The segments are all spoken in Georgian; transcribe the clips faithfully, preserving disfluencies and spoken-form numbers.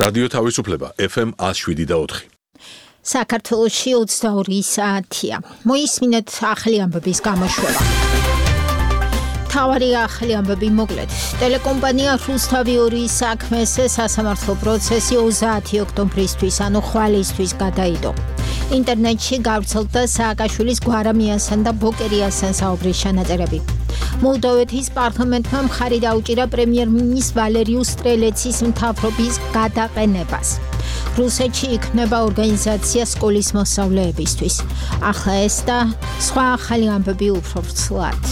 რადიო თავისუფლება ეფ ემ ათს შვიდი და ოთხი. საქართველოში ოცდაორი საათია. მოისმინეთ ახალი ამბების გამოშვება. თავარი ახალი ამბები მოკლედ. ტელეკომპანია რუსთავი ორის საქმეს სასამართლო პროცესი ოცდაათი ოქტომბრისთვის, ანუ ხვალისთვის გადაიდო. ინტერნეტში გავრცელდა სააკაშვილის გვარამიასთან და ბოკერიასთან საუბრის ჩანაწერები. მოლდოვეთის პარლამენტმა მხარი დაუჭირა პრემიერ-მინისტრ ვალერიუს სტრელეცის მთავრობის გადაყენებას. რუსეთში იქნება ორგანიზაცია სკოლის მოსწავლეებისთვის. ახლა ეს და სხვა ახალი ამბები უფრო ვრცლად.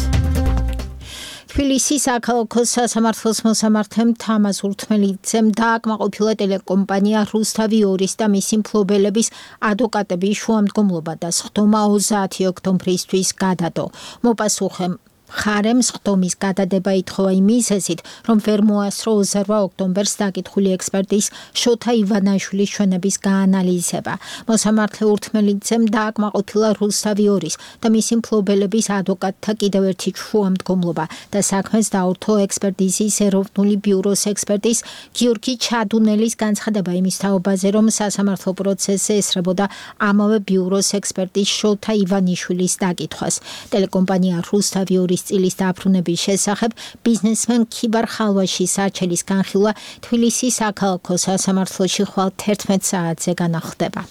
თბილისის საქალაქო სასამართლოს მოსამართემ თამაზ ურთმელიძემ დააკმაყოფილა ტელეკომპანია რუსთავი ორის და მისი მფლობელების ადვოკატების შუამდგომლობა და სხდომა ოცდაათი ოქტომბრისთვის გადადო. მოპასუხე მხარემ სხდომის გადადება ითხოვა იმ მიზეზით, რომ ვერ მოასწრო ოცდაორი ოქტომბერს დაკითხული ექსპერტის შოთა ივანაშვილის ჩვენების გაანალიზება. მოსამართლე ურთმელიძემ დააკმაყოფილა რუსთავი ორის და მისი მფლობელების ადვოკატთა კიდევ ერთი შუამდგომლობა და საქმეს დაურთო ექსპერტიზის ეროვნული ბიუროს ექსპერტის გიორგი ჩადუნელის განცხადება იმის თაობაზე, რომ სასამართლო პროცესზე ესწრებოდა ამავე ბიუროს ექსპერტის შოთა ივანიშვილის დაკითხვას. ტელეკომპანია რუსთავი ორის წილის დაბრუნების შესახებ ბიზნესმენ ქიბარ ხალვაშის არჩელის განხილვა თბილისის საქალაქო სასამართლოში ხვალ თერთმეტ საათზე განახლდება.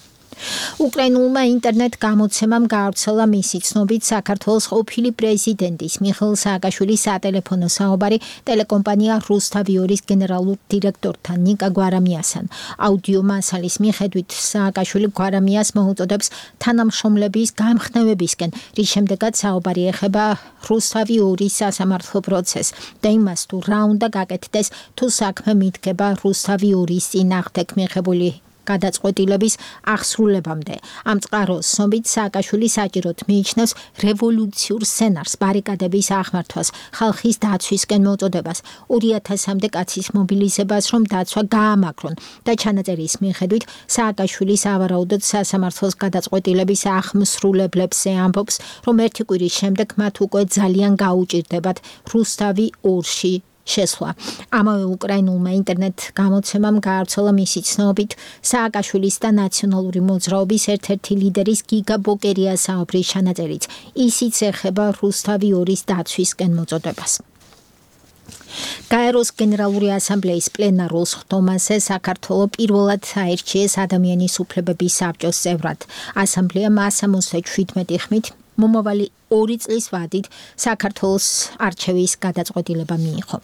უკრაინულმა ინტერნეტ გამოცემამ გაავრცელა მისი ცნობით საქართველოს ყოფილი პრეზიდენტის მიხეილ სააკაშვილის სატელეფონო საუბარი ტელეკომპანია რუსთავი ორის გენერალურ დირექტორთან ნიკა გვარამიასთან. აუდიო მასალის მიხედვით სააკაშვილი გვარამიას მოუწოდებს თანამშრომლების გამხნევებისკენ, რის შემდეგაც საუბარი ეხება რუსთავი ორის სასამართლო პროცესს და იმას თუ რა უნდა გაკეთდეს თუ საქმე მიდგება რუსთავი ორის წინააღმდეგ მიღებული გადაწყვეტილების აღსრულებამდე. ამ წყაროს ცნობით სააკაშვილი საჭიროდ მიიჩნევს რევოლუციურ სცენარს, ბარიკადების აღმართვას, ხალხის დაცვისკენ მოწოდებას, ორი ათასამდე კაცის მობილიზებას, რომ დაცვა გაამაგრონ და ჩანაწერის მიხედვით სააკაშვილი სავარაუდოდ სასამართლოს გადაწყვეტილების აღმსრულებლებზე ამბობს, რომ ერთი კვირის შემდეგ მათ უკვე ძალიან გაუჭირდებათ რუსთავი ორში შესვლა. ამავე უკრაინულმა ინტერნეტ გამოცემამ გაავრცელა მისი ცნობით სააკაშვილის და ნაციონალური მოძრაობის ერთ-ერთი ლიდერის გიგა ბოკერიას საუბრის ჩანაწერიც. ისიც ეხება რუსთავი ორის დაცვისკენ მოწოდებას. გაეროს გენერალური ასამბლეის პლენარულ სხდომაზე საქართველო პირველად აირჩიეს ადამიანის უფლებების საბჭოს წევრად. ასამბლეამ სამოცდაშვიდმეტი ხმით მომავალი ორი წლის ვადით საქართველოს არჩევის გადაწყვეტილება მიიღო.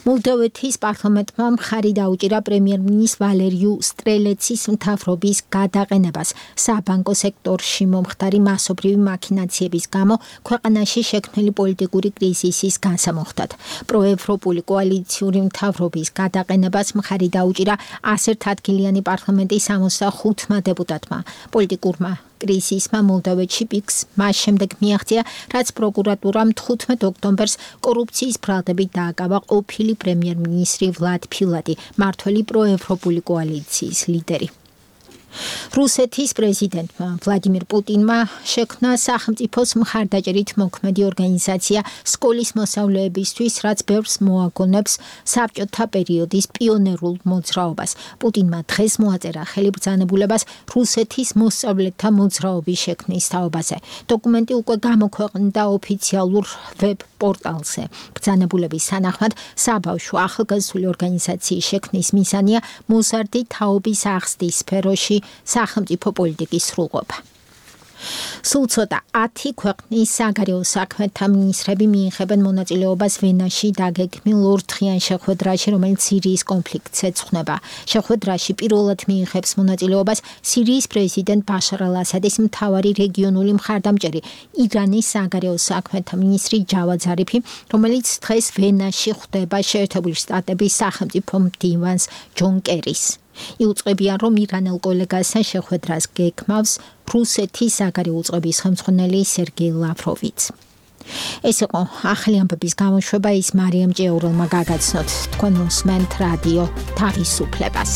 მოლდოვეთის პარლამენტმა მხარი დაუჭირა პრემიერ-მინისტრ ვალერიუ სტრელეცის მთავრობის გადაყენებას საბანკო სექტორში მომხდარი მასობრივი მაქინაციების გამო ქვეყანაში შექმნილი პოლიტიკური კრიზისის განსამუხტად. პროევროპული კოალიციური მთავრობის გადაყენებას მხარი დაუჭირა ასერთადგილიანი პარლამენტის სამოცდახუთმა დეპუტატმა. პოლიტიკურმა კრიზისმა მოლდოვეთში პიკს მას შემდეგ მიაღწია, რაც პროკურატურამ თხუთმეტ ოქტომბერს კორუფციის ბრალდებით დააკავა ყოფილი პრემიერ-მინისტრი ვლად ფილადი, მმართველი პროევროპული კოალიციის ლიდერი. რუსეთის პრეზიდენტმა ვლადიმირ პუტინმა შექმნა სახელმწიფოს მხარდაჭერით მოქმედი ორგანიზაცია სკოლის მოსწავლეებისთვის, რაც ბევრს მოაგონებს საბჭოთა პერიოდის პიონერულ მოძრაობას. პუტინმა დღეს მოაწერა ხელიბრძანებულებას რუსეთის მოსწავლეთა მოძრაობის შექმნის თაობაზე. დოკუმენტი უკვე გამოქვეყნდა ოფიციალურ ვებ პორტალზე. ბრძანებულების თანახმად საბავშვო ახალგაზრდული ორგანიზაციის შექმნის მიზანია მოზარდი თაობის აღზრდის სფეროში სახელმწიფო პოლიტიკის სრულყოფა. სულ ცოტა ათი ქვეყნის საგარეო საქმეთა მინისტრები მიიღებენ მონაწილეობას ვენაში დაგეგმილ ორდღიან შეხვედრაში, რომელიც სირიის კონფლიქტს ეძღვნება. შეხვედრაში პირველად მიიღებს მონაწილეობას სირიის პრეზიდენტ ბაშარ ალ-ასადის მთავარი რეგიონული მხარდამჭერი, ირანის საგარეო საქმეთა მინისტრი ჯავად ზარიფი, რომელიც დღეს ვენაში ხვდება შეერთებული შტატების სახელმწიფო მდივანს ჯონ კერის. იუწყებიან, რომ ირანელ კოლეგასთან შეხვედრას გეგმავს რუსეთის საგარეო უწყების ხელმძღვანელი სერგეი ლავროვიც. ეს იყო ახალი ამბების გამოშვება, ის მარიამ ჭიაურელმა გაგაცნოთ. თქვენ უსმენთ რადიო თავისუფლებას.